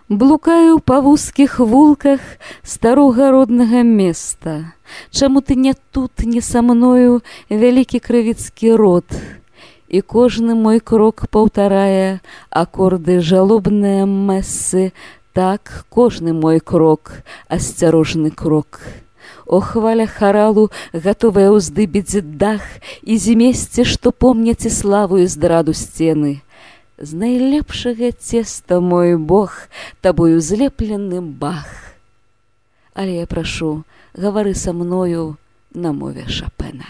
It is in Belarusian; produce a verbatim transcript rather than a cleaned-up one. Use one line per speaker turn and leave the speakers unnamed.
Блукаю па вузкіх вулках старога роднага места. Чаму ты не тут, не са мною, вялікі крывіцкі род? І кожны мой крок паўтарае акорды жалобныя мэсы. Так, кожны мой крок, асцярожны крок. О, хваля харалу, гатовая ўздыбіць дах, і зімесце, што помняць і славу і здраду сцены. З найлепшага цеста, мой Бог, табою злеплены бах. Але я прашу, гавары са мною на мове Шапена.